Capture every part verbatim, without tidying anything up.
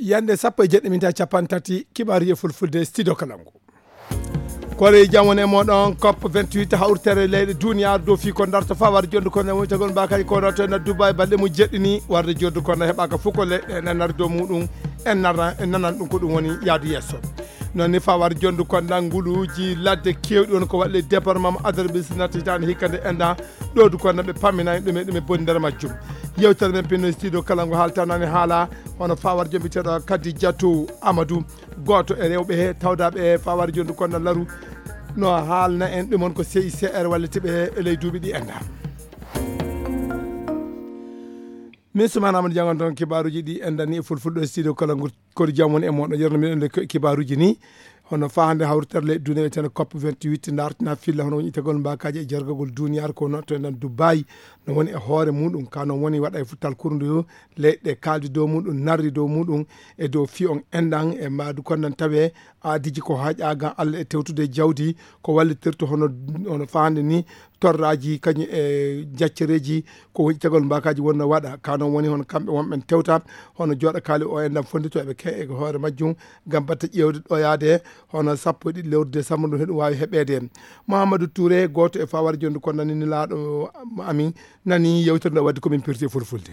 Yande sappo e jeɗɗi minti capanɗe tati, kibaaruji e fulfulde, studio Kalangu. Koore jam woni e moɗon, cop vingt-huit, hawritere leyɗe duniyaaru dow fii ko darta fawade jonde ko woni tagol mbakaji ko ɗo to en Dubai, balɗe mum jeɗɗi ni warde jonde ko heɓaka fof ko leyɗe en nari dow muɗum, en nara, en nanan ɗum ko ɗum woni yaadu yeeso. Noon ni fawade jonde ko nguluuji ladde keewɗi woni ko waɗi ley département mo Adarabis natti hitaande hikka nde enda ɗo du ko ɓe paminani ɗum e ɗum e boni nder majjum. Yewtere men pinno studio Kalangu haaltanani haala hono fawade jonde biteɗo Kadijatu Amadou. Gooto e rewɓe he tawdaaɓe e fawade jonde kono laru no haalna en ɗum on ko C I C R walliti ɓe e ley duuɓi ɗi enda. Min Soumana Amadou Diangon toon kibaaruji ɗi endani e fulfulde studio Kalangu. Koore jam woni e moɗon, yerno miɗen le kibaaruji ni. Hono fahande hawritere leyɗe duniya wiyeteno cop vingt-huit dartina filla hono woni itagol mbakaji e jargagol duniyaaru ko no to enen Dubai no woni e hoore muɗum ka no woni waɗa e futtal kurundu leyɗe kaldi dow muɗum, narri dow muɗum e dow fi on enɗan e mbaadu konnan tawe aadiji ko haƴa gam Allah e tewtude jawdi ko wallitirta hono, hono fahande ni torraji kañum e jaccereji ko woni itagol mbakaji wonno waɗa. Ka noon woni hono kamɓe wonɓen tewta hono jooɗa kaali o enɗan fondito eɓe ke e hoore majjum gam batte ƴeewde ɗo yaade hono sappo e ɗiɗi lewru décembre ɗum heɗum waawi heɓeede. Mouhamadou Touré, gooto e fawade jonde ko nani nelaaɗo amin, nani yewtere nde wadde komin pirti e fulfulde.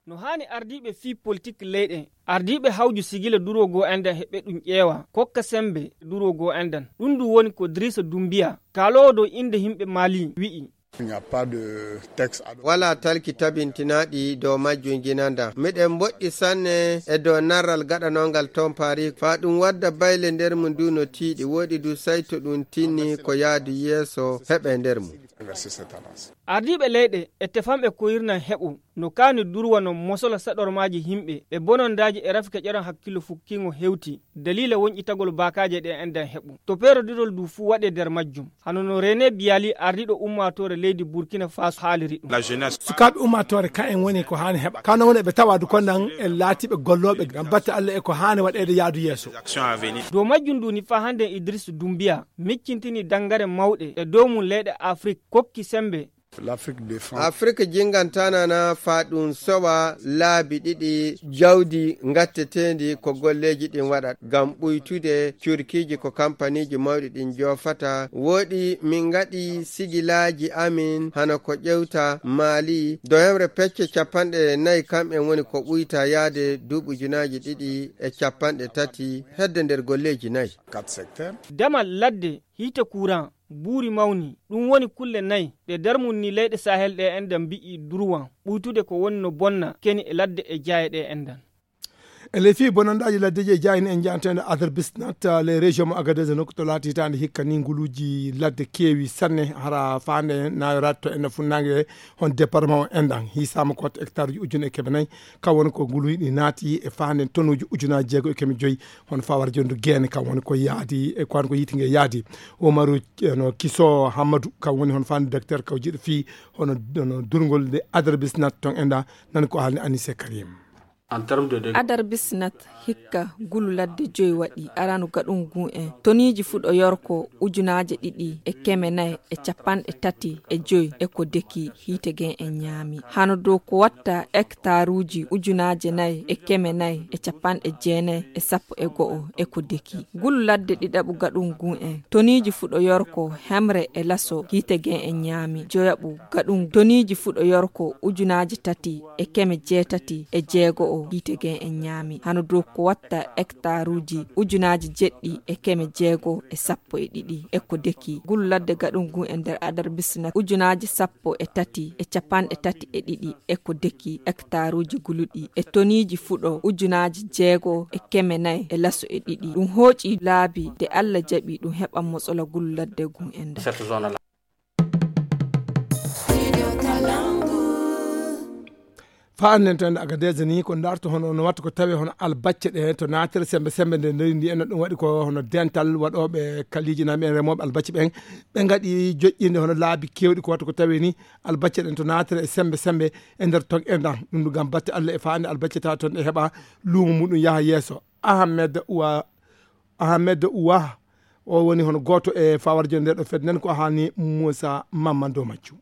No haani ardiiɓe fii politik leyɗe, ardiiɓe hawju sigila durwo goo enɗan heɓe ɗum ƴeewa, kokka sembe durwo goo enɗan. Ɗum ndu woni ko Drissa Doumbia, kaaloowo dow innde yimɓe Mali, wi'i. Il n'y a pas de texte ad hoc. Walaa talki tabintinaaɗi dow majjum jinanda. Miɗen mboɗɗi sanne e dow narral gaɗanongal toon Paris. Faa ɗum wadda bayle nder mum du no tiiɗi. Woɗi du sayto ɗum tinni ko yaadu yeeso heɓe nder mum. Ardiiɓe leyɗe e tefamɓe koyirnan heɓo no kaani durwa no mosola saɗormaaji yimɓe e bonondaaji e rafi keƴoran hakkillo fukkiingo hewti daliila wonƴitagol baakaaje ɗe enɗan heɓo. To peerodirol du fuu waɗe nder majjum. Hano no René Bialy, ardiiɗo ummaatoore leydi Burkina Faso, haaliri ɗum. Sukaaɓe ummaatoore ka en woni ko haani heɓa. Ka no woni ɓe tawa du konnan en laatiiɓe gollooɓe ngam batte Allah e ko haani waɗeede yaadu yeeso. Dow majjum du ni faa hannde Idriss Doumbia miccintini danngare mawɗe e dow mum leyɗe Afrik kokki semmbe. Afrik jingantanana faa ɗum sowa laabi ɗiɗi jawdi ngatteteendi ko golleeji ɗin waɗat ngam ɓuytude curkiiji ko kampaniiji mawɗi ɗin joofata. Woɗi min ngaɗi sigilaaji amin hano ko ƴewta Mali, dow hemre pecce capanɗe nayi kamɓen woni ko ɓuyta yaade duuɓi ujunaaji ɗiɗi e capanɗe tati hedde nder golleeji nayi. Damal ladde, hiite kuran, buuri mawni, ɗum woni kulle nayi ɗe nder mum ni leyɗe Sahel ɗe enɗan mbi'i durwan, ɓuytude ko woni no bonna keni e ladde e jaaye ɗe enɗan. E ley fii bonandaaji laddeji e jaaye ni en njahanteende Adar Bisnat, les régions mo Agadez nokku to laati hitaande hikka ni nguluuji ladde keewi sanne hara faande nayoraade to enne funnaange hon département o enɗan. Hiisaama ko watta hectare uji ujune e keme nayi, ka woni ko nguluuji ɗi naati e faande tonuuji ujunaaji jeego e keme joyi, hon fawar jondu geene ka woni ko yaadi e ko woni ko yiiti nge yaadi. Umaru, eh, no Kiso Hammadu, ka woni hon faande docteur kawjiiɗo fii hono, hono durngol nde Adar Bisnat ton enɗan, nan ko haalni Anise Karim. Adar Bisnat hikka ngulu ladde joyi waɗi aranu gaɗungu en. Toniiji fuɗo yorko ujunaaje ɗiɗi e keme nayi e capanɗe tati e joyi e ko deki hiite gen en ñaami. Hano dow ko watta hektaruuji ujunaaje nayi e keme nayi e capanɗe jeenayi e sappo e go'o e ko deki. Ngulu ladde ɗiɗaɓu gaɗungu en. Toniiji fuɗo yorko hemre e laso hiite gen en ñaami. Joyaɓu gaɗungu toniiji fuɗo yorko ujunaaje tati e keme jeetati e jeego'o hiite gen en ñaami. Hano dow ko watta hektaruuji ujunaaji jeɗɗi e keme jeego e sappo e ɗiɗi e ko deki. Ngulu ladde gaɗungu e nder Adar Bisnat ujunaaji sappo e tati e capanɗe tati e ɗiɗi e ko deki hektaruuji nguluɗi e toniiji fuɗo ujunaaji jeego e keme nayi e laso e ɗiɗi. Ɗum hooƴi laabi nde Allah jaɓi ɗum heɓa mosola ngulu ladde ngun e nder. Faa annden to ende Agadez ni, ko ndarto hono no watta ko tawe hono albacce ɗe to naatere sembe sembe nde nder ndi en ɗum waɗi ko hono dental waɗooɓe kaliiji nami en remooɓe albacce ɓen. Ɓe ngaɗi joƴƴinde hono laabi keewɗi ko watta ko tawe ni albacce ɗen to naatere e sembe sembe e nder ton enɗan. Ɗum ɗum ngam batte Allah e faande albacce tawa ton ɗe heɓa luumo muɗum yaha yeeso. Ahmed Wa, Ahmed Wa, o woni hono gooto e fawar jonde ɗo fed nden ko haani Moussa Mamman dow majjum.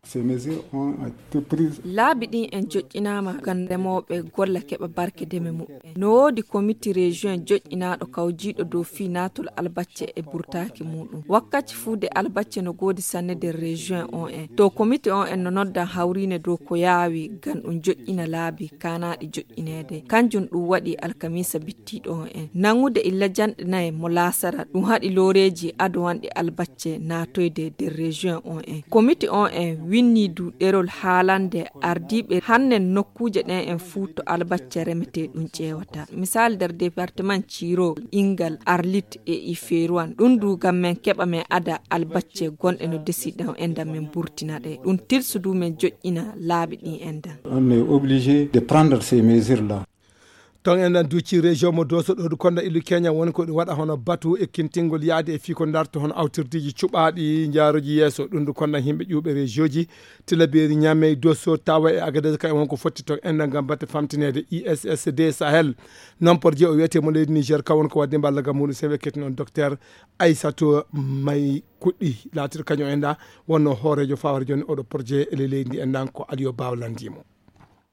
Ces mesures ont été prises. Laabi ɗin en joƴƴinaama ngam remooɓe golla keɓa barke deme muɓɓen. No woodi komiti région joƴƴinaaɗo kawjiiɗo dow fii naatol albacce e burtaaki muuɗum. Wakkati fuu de albacce no goodi sanne nder région on en. To komiti on en no noddan hawriine dow ko yaawi ngam ɗum joƴƴina laabi kaanaaɗi joƴƴineede. Kanjum ɗum waɗi alkamiisa bittiiɗo on en. Nangude illa janɗe nayi mo laasara ɗum haɗi looreeji adowanɗi albacce naatoyde nder région on en. Komiti on en winni du ɗerol haalande ardiiɓe hannen nokkuuje ɗen en fuu to albacce remetee ɗum ƴeewata. Misal nder département Ciiro, Ingal, Arlit e Ifeeruwan. Ɗum du ngam men keɓa men ada albacce gonɗe no desi ɗon endan men burtina ɗe. Ɗum tilsu du men joƴƴina laabi ɗin endan. On est obligé de prendre ces mesures-là. Ton en nan duuci région mo Doso ɗo du konda ilu Kenya woni ko ɗum waɗa hono batu e kintingol yaade e fii ko darto hono awtirdiiji cuɓaaɗi njaaroji yeeso. Ɗum du konda yimɓe ƴuuɓe région ji Tilaberi, Niamey, Doso, Tawa e Agadez ka e won ko fotti ton en nan ngam batte famtineede I S S D Sahel. Non projet o wiyete mo leydi Niger ka won ko wadde mballa gam muɗum sewe ketti noon docteur Aissatou May Kuɗɗi laatiɗo kañum en da wonno hooreejo fawre jooni oɗo projet e ley leydi ndi en dan ko Aliyo Baw landimo.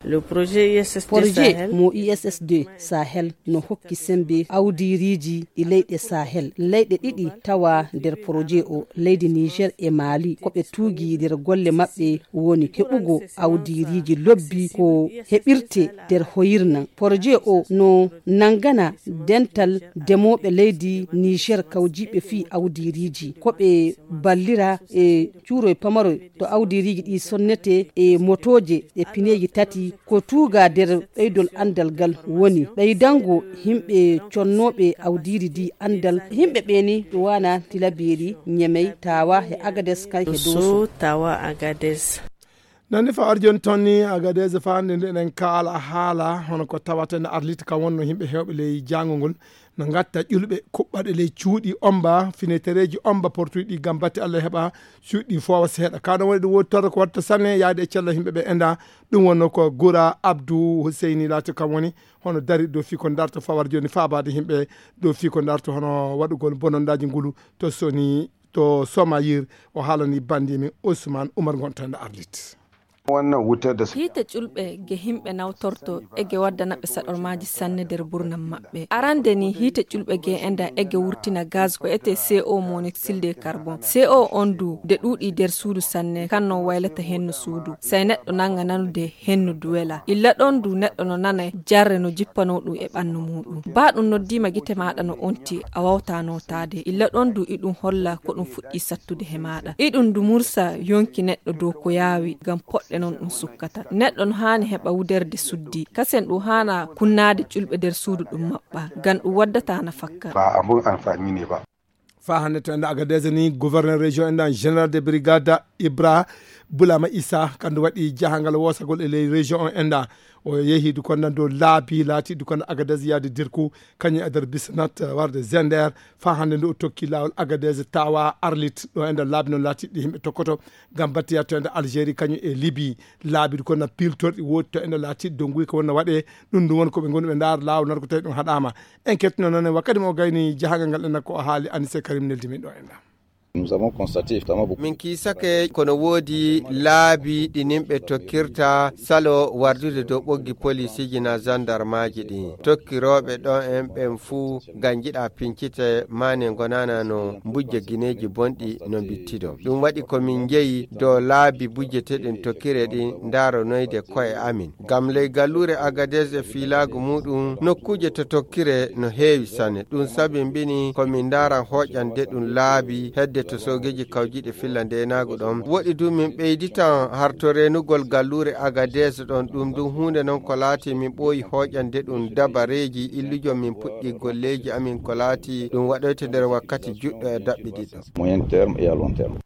Le projet I S S D Projet Sahel. Mo I S S D Sahel no hokki sembe awdiiriiji e leyɗe Sahel. Leyɗe ɗiɗi tawa nder projet o, leydi Niger e Mali, ko ɓe tuugi nder golle maɓɓe woni heɓugo awdiiriiji lobbi ko heɓirte nder hoyirnan. Projet o no nangana dental demooɓe leydi Niger kawjiiɓe fii awdiiriiji. Ko ɓe ballira e cuuroy pamaroy to awdiiriiji ɗi sonnete e motooje e pineeji tati ko tuuga nder ɓeydol anndal ngal woni ɓeydango yimɓe connooɓe awdiiri ndi anndal. Yimɓe ɓe ni ɗo wana Tilaberi, Ñemey, Tawa e Agades kay e Doso. Doso, Tawa, Agades. Nandi fa arjon tonni Agadez fa hannde nde eɗen kaala haala hono ko tawata ene arlita kam wonno yimɓe heewɓe ley jaangol ngol no ngatta ƴulɓe kuɓɓaɗe ley cuuɗi omba finetereeji omba portuɗi ɗi ngam batte Allah heɓa cuuɗi foowa seeɗa ka ɗon waɗi ɗum woodi torro ko watta sanne yaade e cella yimɓe ɓe enda. Ɗum wonno ko Gura Abdou Huseyni laati kam woni hono dari dow fii ko darto fawar jooni faabaade yimɓe dow fii ko darto hono waɗugol bonondaaji ngulu to soni to Somayir. O haalani banndi men Ousmane Oumar Gonta nde arlit. Hiite ƴulɓe ge himɓe nawtorto ege waddana ɓe saɗormaaji sanne nder burnam maɓɓe. Arande ni hiite ƴulɓe ge enda ege wurtina gaz ko ete C O monoxyde de carbon. C O on du de ɗuuɗi nder suudu sanne kan no waylata hennu suudu. Sai neɗɗo nanga nanude hennu du wela. Illa ɗon du neɗɗo no nana jarre no jippano ɗum e ɓannu muɗum. Ba ɗum noddiima gite maɗa no onti a wawta notaade. Illa ɗon du iɗum holla ko ɗum fuɗɗi sattude he maɗa. Iɗum du mursa yonki neɗɗo dow ko yaawi ngam poɗɗe non ɗum sukkata. Neɗɗo no haani heɓa wuderde suddi. Kasen ɗum haana kunnaade ƴulɓe nder suudu ɗum maɓɓa. Ngam ɗum waddata na fakka. Ba abun amfani ne ba. Fa hannde to enda Agadez ni gouverneur région enda général de brigade Ibra Bulama Issa kandu waɗi jahangal wosagol e ley région on enda o yehi du konda dow laabi laati du konda Agadez yaade dirku kañum e nder bisnat warde zender. Fa hannde ndu o tokki laawol Agadez tawa arlit ɗo enda laabi noon laati ɗi yimɓe tokkoto ngam battiya to enda Algérie kañum e Libye. Laabi du konda piltorɗi woodi to enda laati donguy ko wonna waɗe. Ɗum ɗum woni ko ɓe ngoni ɓe ndaara laawol nar ko tawi ɗum haɗama. En kettino noon wakkati mo gayni jahangal ngal ɗen ko o haali Anise Karim neldi min ɗo en ɗam. Nous avons constaté effectivement beaucoup. Min kiisake kono woodi laabi ɗi nimɓe tokkirta salo wardude dow ɓoggi polisiji na zandarmaji ɗi tokkirooɓe ɗo en ɓen fuu ganjiɗa pincite mane gonana no mbujja gineeji bonɗi no mbittido. Ɗum waɗi ko min njeyi dow laabi bujjeteɗen tokkire ɗi ndaronoyde koye amin. Ngam ley galluure Agadez e fiilaagu muuɗum, nokkuuje to tokkire no heewi sanne. Ɗum sabimbini ko min ndaran hooƴande ɗum laabi hedde to soogeeji kawjiiɗi filla ndeenaagu ɗon. Woɗi du min ɓeyditan harto reenugol galluure Agadez ɗon. Ɗum ɗum huunde non ko laati min ɓooyi hooƴande ɗum dabareeji illujo min puɗɗi golleeji amin ko laati ɗum waɗoyte nder wakkati juɗɗo e daɓɓiɗiɗɗo. Moyen terme et à long terme.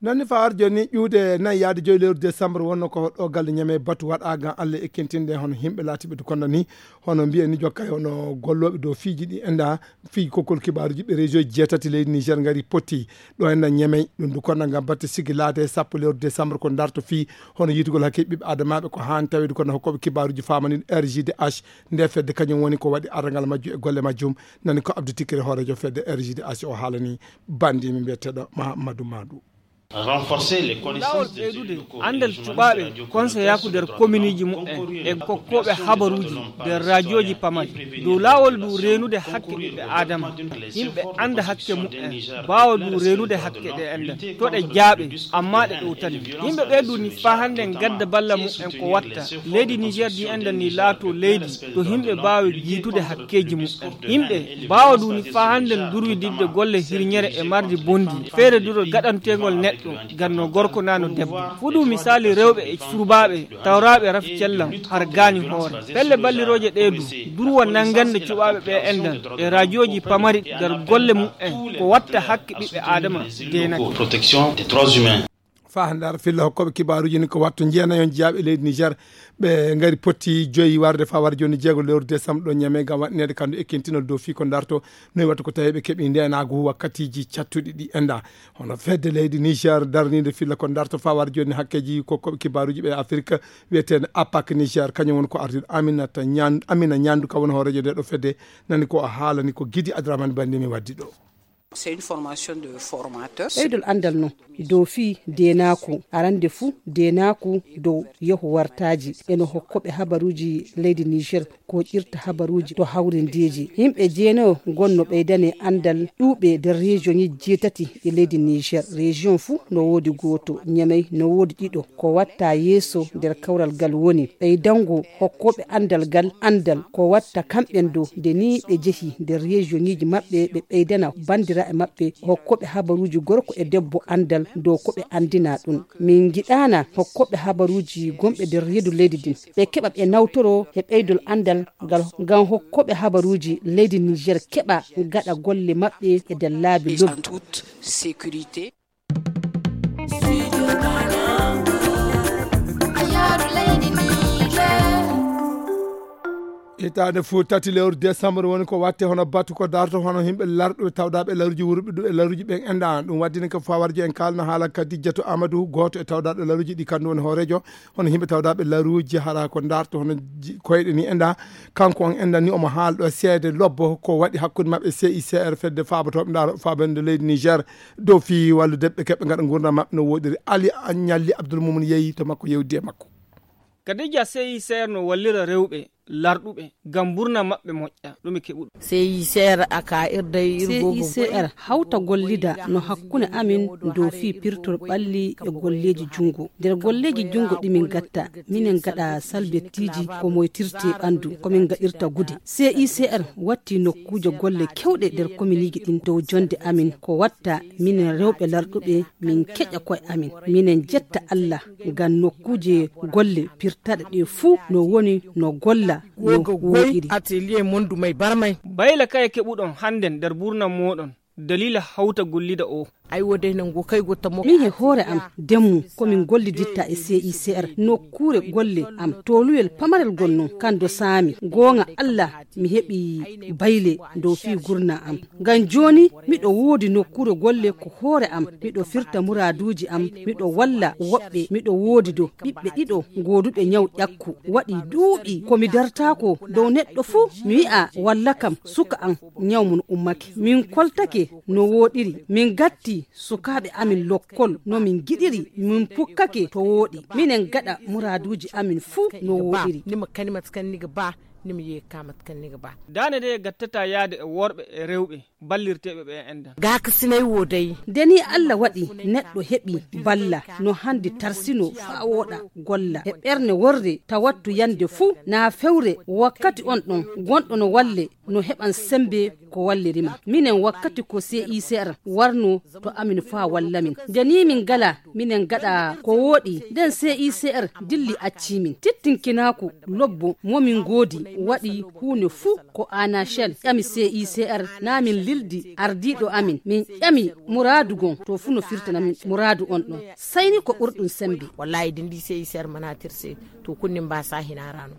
Nani fawar joni ƴuude nayi yaade joyi lewru décembre wonno ko ɗo galle Ñamey batu waɗa gam Allah e kentinde hono himɓe laatiɓe to konda ni, hono mbiyen ni jokkay hono gollooɓe dow fiiji ɗi enda fii kokkol kibaaruji ɓe région jeetati leydi Niger ngari potti ɗo enda Ñamey ɗum du konda gam batte sigi laade sappo lewru décembre ko darto fii hono yitugol hakke ɓiɓɓe adamaɓe ko han tawiɗo kono hokkoɓe kibaaruji famani R G D H nde fedde kañum woni ko waɗi arrangal majjum e golle majjum. Nani ko Abdou Tikere hoorejo fedde R G D H o haalani bandi mi mbiyeteɗo Mahamadou Madou. Renforcer les connaissances des élus locaux et des journalistes de radio communautaire, y compris les coordonnées de la radio communautaire. Laawol ɓeydude anndal cuɓaaɓe konseyaku nder komiiniiji mumen e kokkooɓe habaruuji nder raajooji pamari dow laawol ndu reenude hakke ɓiɓɓe aadama. Yimɓe annda hakke mumen baawa ndu reenude hakke ɗe enɗan to ɗe jaaɓe. Amma ɗe ɗowtani yimɓe ɓeydu ni faa hannde ngadda balla mumen ko watta leydi Niger ndi enɗan ni laato leydi to yimɓe mbaawi jiitude hakkeeji mumen. Yimɓe mbaawa ɗum faa hannden durwididde golle hirñere e mardi bonndi feere duro gaɗanteengol neɗɗo ganno gorko nano debbo. Fuɗu misaali rewɓe e surbaaɓe tawraaɓe rafi cellan har gaani hoore. Pelle ballirooje ɗee du durwa nanngande cuɓaaɓe ɓe enɗan e rajooji pamari nder golle mumen ko watta hakke ɓiɓɓe aadama deenake. Protection des droits humains. Faa ndar filla hokkooɓe kibaaruuji ni ko wattu jeenayon jeyaaɓe leydi Niger ɓe ngari potti joyi warde faa wara jooni jeego lewru décembre ɗo Ñamey ngam waɗineede kandu ekkintinol dow fii ko darto noy wattu ko tawi ɓe keɓi ndeenaagu wakkatiiji cattuɗi ɗi enda. Hono fedde leydi Niger darniinde filla ko darto faa wara jooni hakkeeji kokkooɓe kibaaruuji ɓe Afirka wiyeteende APAC Niger kañum woni ko ardiiɗo Aminata Ñan- Amina Ñandu ka woni hooreejo nde ɗo fedde nani ko o haalani ko Gidi Adramane Bandi mi waddi ɗo. C'est une formation de formateur. Ɓeydol anndal non dow fii deenaaku arande fuu deenaaku dow yehu wartaaji eno hokkoɓe habaruuji leydi Niger ko ƴirta habaruuji to hawrindeeji yimɓe jeenayo gonno ɓeydane anndal ɗuuɓe nder région ŋi jeetati e leydi Niger. Région fuu no woodi gooto Ñamey no woodi ɗiɗo ko watta yeeso nder kawral gal woni ɓeydango hokkooɓe anndal gal anndal ko watta kamɓen dow nde nii ɓe jehi nder région ŋiiji maɓɓe ɓe ɓeydana banndiraaɓe maɓɓe hokkooɓe habaruuji gorko e debbo anndal dow ko ɓe anndina ɗum. Min ngiɗaana hokkooɓe habaruuji gonɓe nder reedu leydi ndin ɓe keɓa ɓe nawtoro e ɓeydol anndal ngal ngam hokkooɓe habaruuji leydi Niger keɓa gaɗa golle maɓɓe e nder laabi lobbi. Hitaande fuu tati lewru décembre woni ko watte hono batu ko darto hono yimɓe larɗuɓe tawdaaɓe laruuji wurɓe ɗum e laruuji ɓen enɗan ɗum waddini ko fawarjo en kaalna haala Kadijatu Amadou gooto e tawdaaɗo laruuji ɗi kandu woni hooreejo hono yimɓe tawdaaɓe laruuji hara ko darto hono ji- koyɗe ni enɗan kanko on enɗan ni omo haalɗo seede lobbo ko waɗi hakkunde maɓɓe C I C R fedde faabotooɓe ndaaro faabande leydi Niger dow fii wallude ɓe keɓɓe ngaɗa ngurndan maɓɓe no woɗiri Ali Ñalli Abdoul Moumoun yeeyi to makko yewdi e makko. Kadija C I C R no wallira rewɓe larɗuɓe ngam mburna maɓɓe moƴƴa ɗum e keɓuɗo. C I C R aka irday irgo C I C R hawta gollida no hakkunde amin dow fii pirtol ɓalli e golleeji junngo nder golleeji junngo ɗi min gatta minen gaɗa salbettiiji ko moytirte ɓanndu ko min gaɗirta gude. C I C R watti nokkuuje golle kewɗe nder kominiiji ɗin dow jonnde amin ko watta minen rewɓe larɗuɓe min keƴa koye amin minen jetta Allah ngam nokkuuje golle pirtaɗe ɗe fuu no woni no golla no woɗiri. Atelier mondu may barmay. Bayla kaye keɓuɗon hannden nder burnam mooɗon daliila hawta gollida o. Ay wodey nango kay gotta mo min he hoore am demmu ko min golliditta e C I C R nokkuure golle am toluyel pamarel gonno kando saami goonga Allah mi heɓi bayle dow fii gurna am ngam jooni miɗo woodi nokkuure golle ko hoore am miɗo firta muraaduuji am miɗo walla woɓɓe miɗo woodi do ɓiɓɓe ɗiɗo gooduɓe ñaw ƴakku waɗi duuɓi ko mi dartaako dow neɗɗo fuu mi wi'a walla kam suka am ñaw mum ummake min koltake no wooɗiri min gatti sukaaɓe amin lokkol no min ngiɗiri min pukkake to wooɗi minen gaɗa muraaduuji amin fuu no wooɗiri. Nima kanimat kan niga ba nima yeekamat kan niga ba. Daande nde gattata yaade e worɓe e rewɓe ballirteeɓe ɓe enɗan. Gaaka sinay woo dey. Nde nii Alla waɗi neɗɗo heɓi balla no hanndi tarsinoo faa wooɗa golla e ɓerne worre tawattu yande fuu naa fewre wakkati on ɗon gonɗo no walle no heɓan semmbe ko walliri ma minen wakkati ko C I C R warnoo to amin faa walla min nde nii min ngalaa minen ngaɗa ko wooɗi nden C I C R dilli accii min tittinkinaaku lobbo mo min ngoodi waɗi huunde fuu ko anachel ƴami cicr, naa min lildi ardiiɗo amin, min ƴami muraadu gon to fuu no firtana min muraadu on ɗon. Sayni ko ɓurɗum sembe. Wallahi din ɗi cicr manatirse to kunnin mbasa hinarano.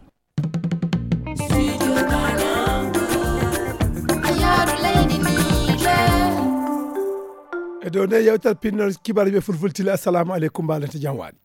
E dow nde yewtere pinnol kibaruuji ɓe fulfultile. Assalamu aleykum, mbalente jam waali.